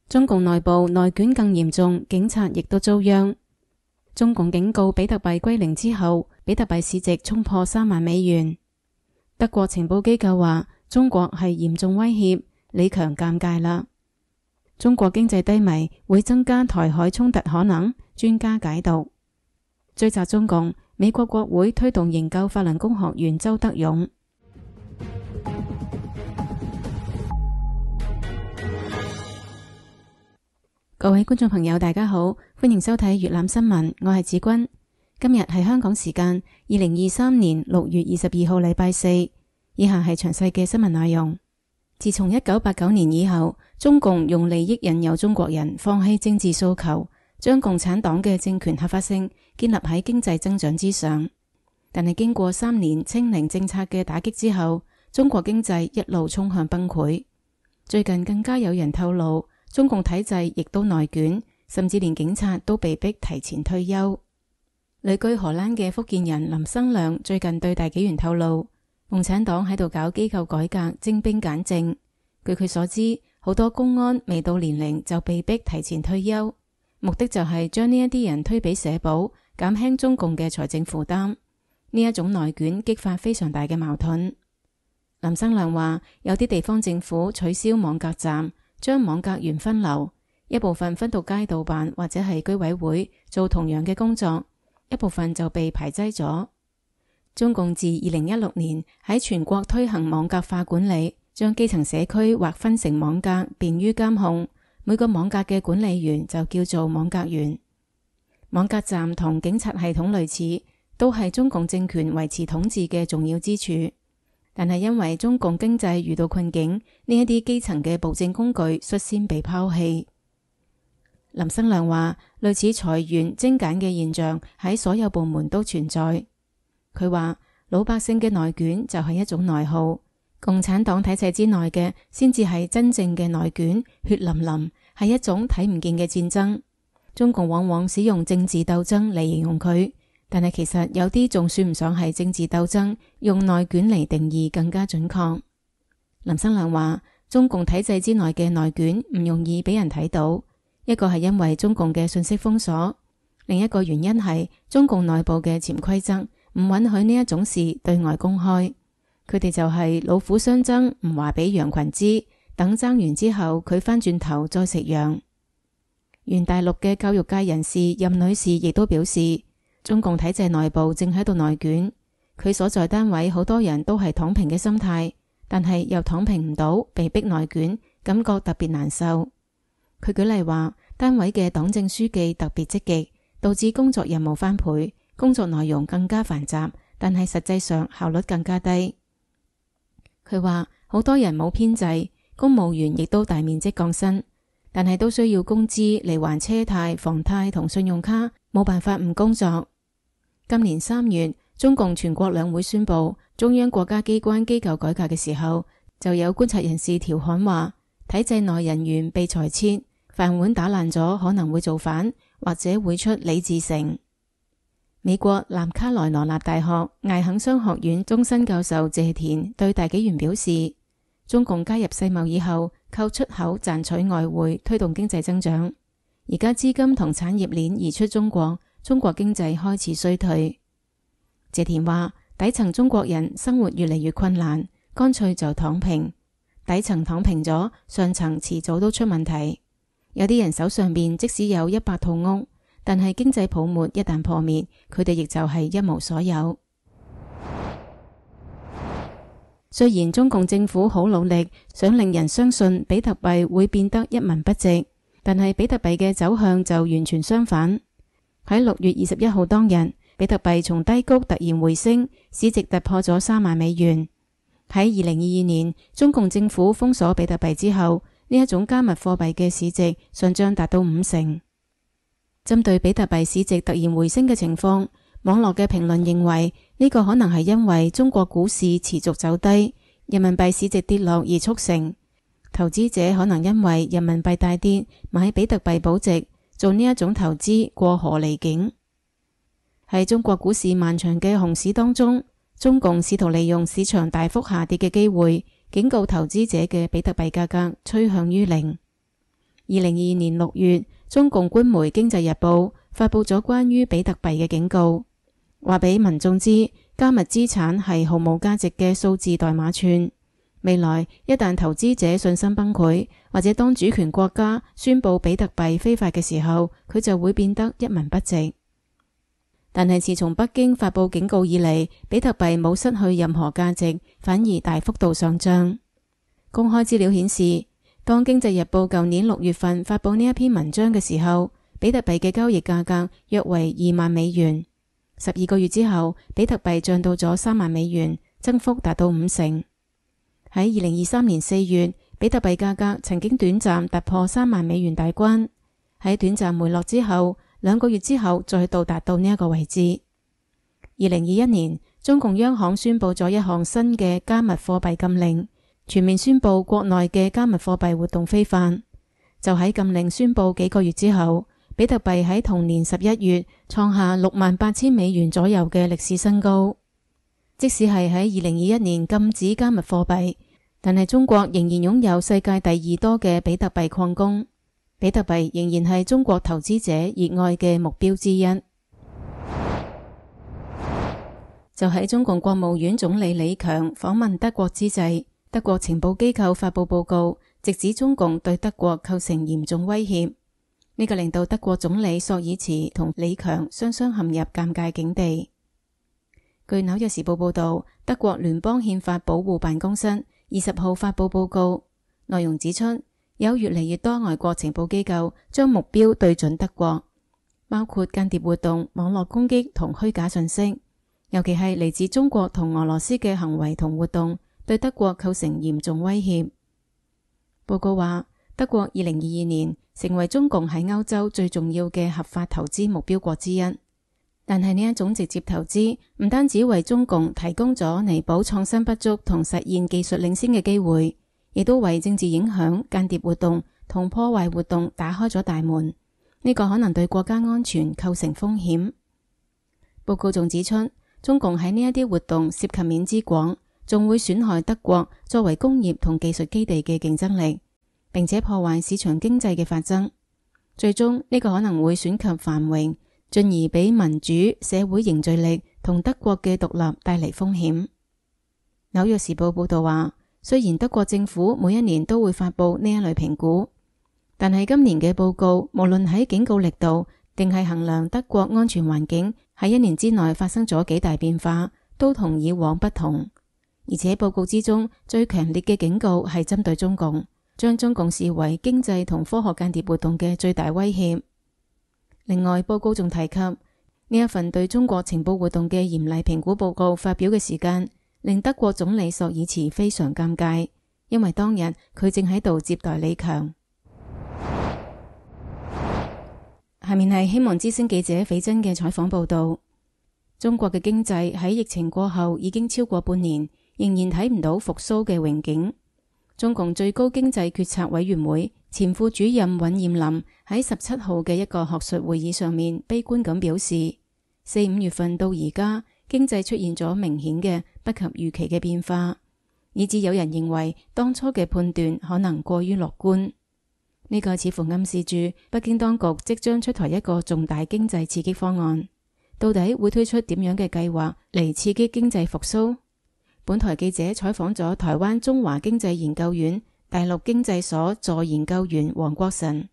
中共內部內卷更嚴重，警察亦都遭殃。中共警告比特幣歸零之後，比特幣市值衝破3萬美元。德國情報機構話中國係嚴重威脅，李強尷尬啦。中國經濟低迷會增加台海衝突可能，專家解讀。追責中共，美國國會推動營救法輪功學員周德勇。各位觀眾朋友大家好，歡迎收睇粵覽新聞，我係子君。今日係香港時間2023年6月22號禮拜四，以下係詳細嘅新聞內容。自從1989年以後，中共用利益引誘中國人放棄政治訴求，將共產黨嘅政權合法性建立喺經濟增長之上。但係經過3年清零政策嘅打擊之後，中國經濟一路衝向崩潰。最近更加有人透露，中共體制亦都內卷，甚至連警察都被逼提前退休。旅居荷蘭嘅福建人林生亮最近對大紀元透露，共產黨喺度搞機構改革，徵兵簡政。據佢所知，好多公安未到年齡就被逼提前退休，目的就係將呢一啲人推俾社保，減輕中共嘅財政負擔。呢一種內卷激發非常大嘅矛盾。林生亮話，有啲地方政府取消網格站，將網格員分流，一部分分到街道辦或者係居委會做同樣嘅工作，一部分就被排擠咗。中共自2016年喺全國推行網格化管理，將基層社區劃分成網格，便於監控。每個網格嘅管理員就叫做網格員。網格站同警察系統類似，都係中共政權維持統治嘅重要支柱。但係因為中共經濟遇到困境，呢一啲基層嘅暴政工具率先被拋棄。林生亮話，類似裁員精簡嘅現象喺所有部門都存在。佢話老百姓嘅內卷就係一種內耗，共產黨體制之內嘅先至係真正嘅內卷，血淋淋，係一種睇唔見嘅戰爭。中共往往使用政治鬥爭嚟形容佢，但係其實有啲仲算唔上係政治鬥爭，用內卷嚟定義更加準確。林生亮話，中共體制之內嘅內卷唔容易俾人睇到，一個係因為中共嘅信息封鎖，另一個原因係中共內部嘅潛規則唔允許呢一種事對外公開。佢哋就係老虎相爭，唔話俾羊群知，等爭完之後佢翻轉頭再食羊。原大陸嘅教育界人士任女士亦都表示，中共體制內部正喺度內卷，佢所在單位好多人都係躺平嘅心態，但係又躺平唔到，被逼內卷，感覺特別難受。佢舉例話，單位嘅黨政書記特別積極，導致工作任務翻倍，工作內容更加繁雜，但係實際上效率更加低。佢話好多人冇編制，公務員亦都大面積降薪，但係都需要工資嚟還車貸、房貸同信用卡，冇辦法唔工作。今年3月，中共全國兩會宣布中央國家機關機構改革嘅時候，就有觀察人士調侃話，體制內人員被裁撤，飯碗打爛咗可能會造反，或者會出李自成。美國南卡羅來納大學艾肯商學院終身教授謝田對大紀元表示，中共加入世貿以後，靠出口賺取外匯，推動經濟增長。而家資金同產業鏈移出中國，中國經濟開始衰退。謝田話，底層中國人生活越嚟越困難，乾脆就躺平。底層躺平咗，上層遲早都出問題。有啲人手上邊即使有100套屋，但係經濟泡沫一旦破滅，佢哋亦就係一無所有。雖然中共政府好努力，想令人相信比特幣會變得一文不值，但係比特幣嘅走向就完全相反。喺6月21號當日，比特幣從低谷突然回升，市值突破咗3萬美元。喺2022年，中共政府封鎖比特幣之後，呢一種加密貨幣嘅市值上漲達到50%。針對比特幣市值突然回升嘅情況，網絡嘅評論認為呢個可能係因為中國股市持續走低，人民幣市值跌落而促成。投資者可能因為人民幣大跌，買比特幣保值，做呢一種投資過河離境。喺中國股市漫長嘅熊市當中，中共試圖利用市場大幅下跌嘅機會，警告投資者嘅比特幣價格趨向於零。2022年6月，中共官媒《經濟日報》發佈咗關於比特幣嘅警告，話俾民眾知加密資產係毫無價值嘅數字代碼串。未來一旦投資者信心崩潰，或者當主權國家宣佈比特幣非法嘅時候，佢就會變得一文不值。但係自從北京發佈警告以嚟，比特幣冇失去任何價值，反而大幅度上漲。公開資料顯示，當經濟日報舊年6月份發佈呢一篇文章嘅時候，比特幣嘅交易價格約為$20,000。12個月之後，比特幣漲到咗$30,000，增幅達到50%。喺2023年4月，比特幣價格曾經短暫突破$30,000大關，喺短暫回落之後，2個月之後再到達到呢一個位置。2021年，中共央行宣佈咗一項新嘅加密貨幣禁令，全面宣佈國內嘅加密貨幣活動非法。就喺禁令宣佈幾個月之後，比特幣喺同年11月創下$68,000左右嘅歷史新高。即使係喺2021年禁止加密貨幣，但係中國仍然擁有世界第2多嘅比特幣礦工，比特幣仍然係中國投資者熱愛嘅目標之一。就喺中共國務院總理李強訪問德國之際，德國情報機構發佈報告，直指中共對德國構成嚴重威脅。呢個令到德國總理朔爾茨同李強雙雙陷入尷尬境地。據紐約時報報道，德國聯邦憲法保護辦公室20號發佈報告，內容指出，有越嚟越多外國情報機構將目標對準德國，包括間諜活動、網絡攻擊同虛假信息，尤其係嚟自中國同俄羅斯嘅行為同活動，對德國構成嚴重威脅。報告話，德國2022年成為中共喺歐洲最重要嘅合法投資目標國之一。但係呢一種直接投資唔單止為中共提供咗彌補創新不足同實現技術領先嘅機會，亦都為政治影響、間諜活動同破壞活動打開咗大門。呢個可能對國家安全構成風險。報告仲指出，中共喺呢一啲活動涉及面之廣，仲會損害德國作為工業同技術基地嘅競爭力，並且破壞市場經濟嘅發展。最終呢個可能會損及繁榮，進而俾民主社會凝聚力同德國嘅獨立帶嚟風險。紐約時報報道話，雖然德國政府每一年都會發佈呢一類評估，但係今年嘅報告無論喺警告力度定係衡量德國安全環境喺1年之內發生咗幾大變化，都同以往不同。而且報告之中最強烈嘅警告係針對中共，將中共視為經濟同科學間諜活動嘅最大威脅。另外，報告仲提及呢一份對中國情報活動嘅嚴厲評估報告發表嘅時間，令德國總理朔爾茨非常尷尬，因為當日佢正喺度接待李強。下面係希望之聲記者斐真嘅採訪報道。中國嘅經濟喺疫情過後已經超過半年，仍然睇唔到復甦嘅榮景。中共最高經濟決策委員會前副主任尹硯林喺17號嘅一個學術會議上面悲觀咁表示，4、5月份到而家經濟出現咗明顯嘅不及預期嘅變化，以致有人認為當初嘅判斷可能過於樂觀。呢個似乎暗示住北京當局即將出台一個重大經濟刺激方案，到底會推出點樣嘅計劃嚟刺激經濟復甦？本台記者採訪咗台灣中華經濟研究院大陸經濟所助研究員黃國臣，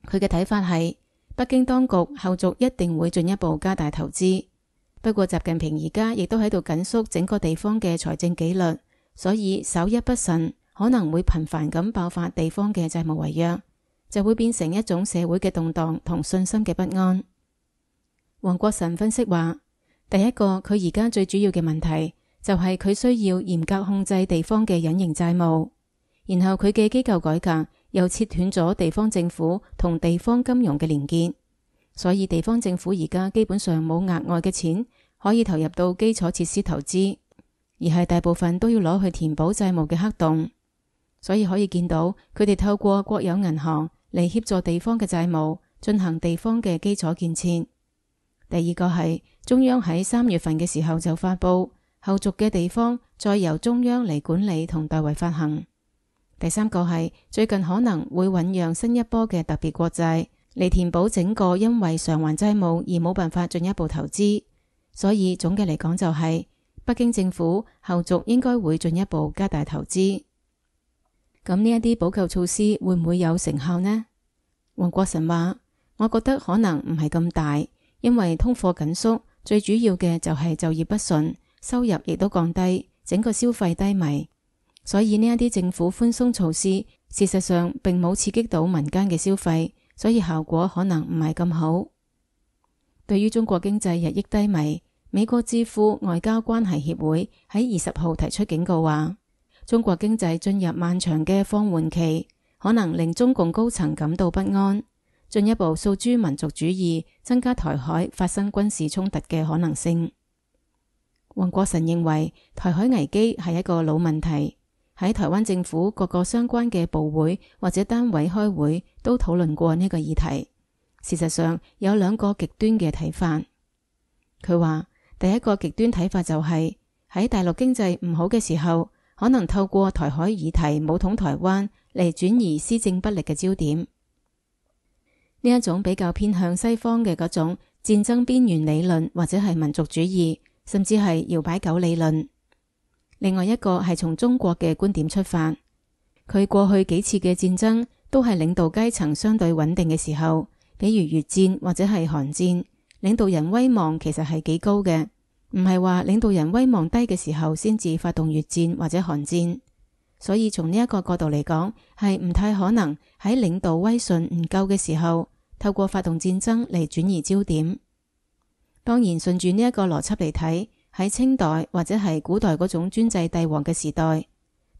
佢嘅睇法係北京當局後續一定會進一步加大投資，不過習近平而家亦都喺度緊縮整個地方嘅財政紀律，所以稍一不慎可能會頻繁咁爆發地方嘅債務違約，就會變成一種社會嘅動盪同信心嘅不安。黃國臣分析話，第一個佢而家最主要嘅問題就係佢需要嚴格控制地方嘅隱形債務，然後佢嘅機構改革又切斷咗地方政府同地方金融嘅連結，所以地方政府而家基本上冇額外嘅錢可以投入到基礎設施投資，而係大部分都要攞去填補債務嘅黑洞。所以可以見到佢哋透過國有銀行嚟協助地方嘅債務，進行地方嘅基礎建設。第二個係中央喺3月份嘅時候就發佈，後續嘅地方再由中央嚟管理同代為發行。第三個係最近可能會醞釀新一波嘅特別國債嚟填補整個因為償還債務而冇辦法進一步投資。所以總嘅嚟講就係北京政府後續應該會進一步加大投資。咁呢一啲補救措施會唔會有成效呢？黃國臣話：我覺得可能唔係咁大，因為通貨緊縮最主要嘅就係就業不順，收入亦都降低，整個消費低迷。所以呢一啲政府寬鬆措施，事實上並冇刺激到民間嘅消費，所以效果可能唔係咁好。對於中國經濟日益低迷，美國智庫外交關係協會喺20號提出警告話，中國經濟進入漫長嘅放緩期，可能令中共高層感到不安，進一步訴諸民族主義，增加台海發生軍事衝突嘅可能性。黃國臣認為，台海危機係一個老問題。喺台灣政府各個相關嘅部會或者單位開會都討論過呢個議題。事實上有兩個極端嘅睇法。佢話第一個極端睇法就係喺大陸經濟唔好嘅時候，可能透過台海議題武統台灣嚟轉移施政不力嘅焦點。呢一種比較偏向西方嘅嗰種戰爭邊緣理論或者係民族主義，甚至係搖擺狗理論。另外一個係從中國嘅觀點出發，佢過去幾次嘅戰爭都係領導階層相對穩定嘅時候，比如越戰或者係韓戰，領導人威望其實係幾高嘅，唔係話領導人威望低嘅時候先至發動越戰或者韓戰。所以從呢一個角度嚟講，係唔太可能喺領導威信唔夠嘅時候，透過發動戰爭嚟轉移焦點。當然順住呢一個邏輯嚟睇，喺清代或者係古代嗰種專制帝王嘅時代，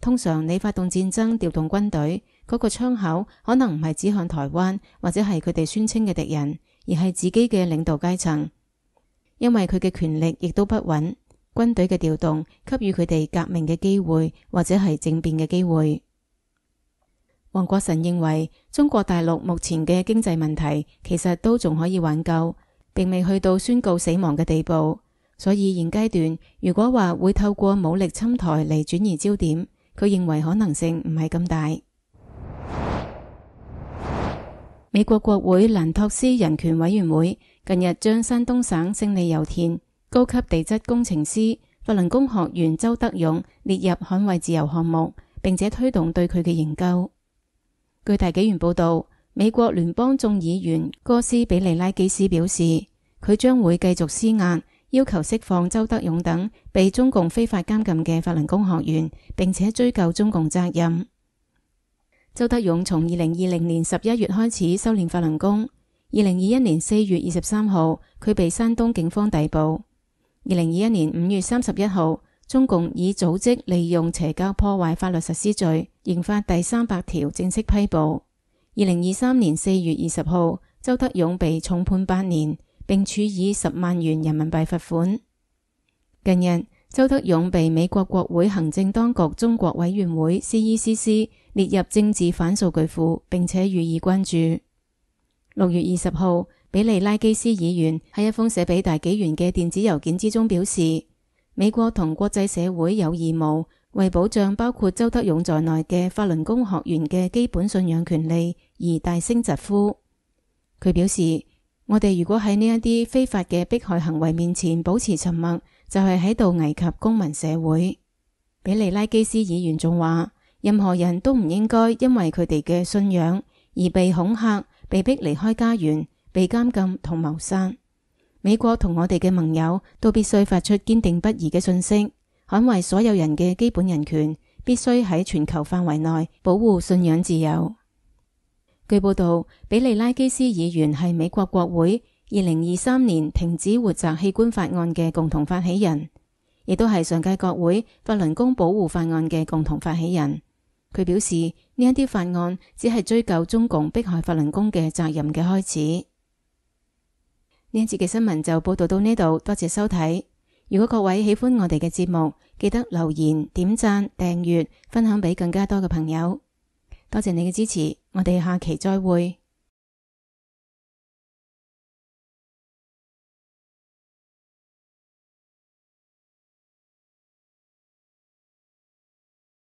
通常你發動戰爭調動軍隊，嗰個槍口可能唔係指向台灣或者係佢哋宣稱嘅敵人，而係自己嘅領導階層，因為佢嘅權力亦都不穩，軍隊嘅調動給予佢哋革命嘅機會或者係政變嘅機會。黃國臣認為中國大陸目前嘅經濟問題其實都仲可以挽救，並未去到宣告死亡嘅地步。所以現階段如果話會透過武力侵台嚟轉移焦點，佢認為可能性唔係咁大。美國國會蘭托斯人權委員會近日將山東省勝利油田高級地質工程師法輪功學員周德勇列入捍衛自由項目，並且推動對佢嘅研究。據大紀元報道，美國聯邦眾議員哥斯比利拉基斯表示，佢將會繼續施壓，要求釋放周德勇等被中共非法監禁嘅法輪功學員，並且追究中共責任。周德勇從2020年11月開始修煉法輪功，2021年4月23號佢被山東警方逮捕。2021年5月31號，中共以組織利用邪教破壞法律實施罪，刑法第300條正式批捕。2023年4月20號，周德勇被重判8年，並處以10萬元人民幣罰款。近日，周德勇被美國國會行政當局中國委員會 CECC 列入政治犯數據庫，並且予以關注。6月20號，比利拉基斯議員喺一封寫俾大紀元嘅電子郵件之中表示，美國同國際社會有義務為保障包括周德勇在內嘅法輪功學員嘅基本信仰權利而大聲疾呼。佢表示，我哋如果喺呢一啲非法嘅迫害行為面前保持沉默，就係喺度危及公民社會。比利拉基斯議員仲話，任何人都唔應該因為佢哋嘅信仰而被恐嚇、被逼離開家園、被監禁同謀殺。美國同我哋嘅盟友都必須發出堅定不移嘅訊息，捍衛所有人嘅基本人權，必須喺全球範圍內保護信仰自由。據報道，比利拉基斯議員係美國國會2023年停止活摘器官法案嘅共同發起人，亦都係上屆國會法輪功保護法案嘅共同發起人。佢表示，呢一啲法案只係追究中共迫害法輪功嘅責任嘅開始。呢一節嘅新聞就報道到呢度，多謝收睇。如果各位喜歡我哋嘅節目，記得留言、點讚、訂閱、分享俾更加多嘅朋友。多謝你嘅支持，我哋下期再會。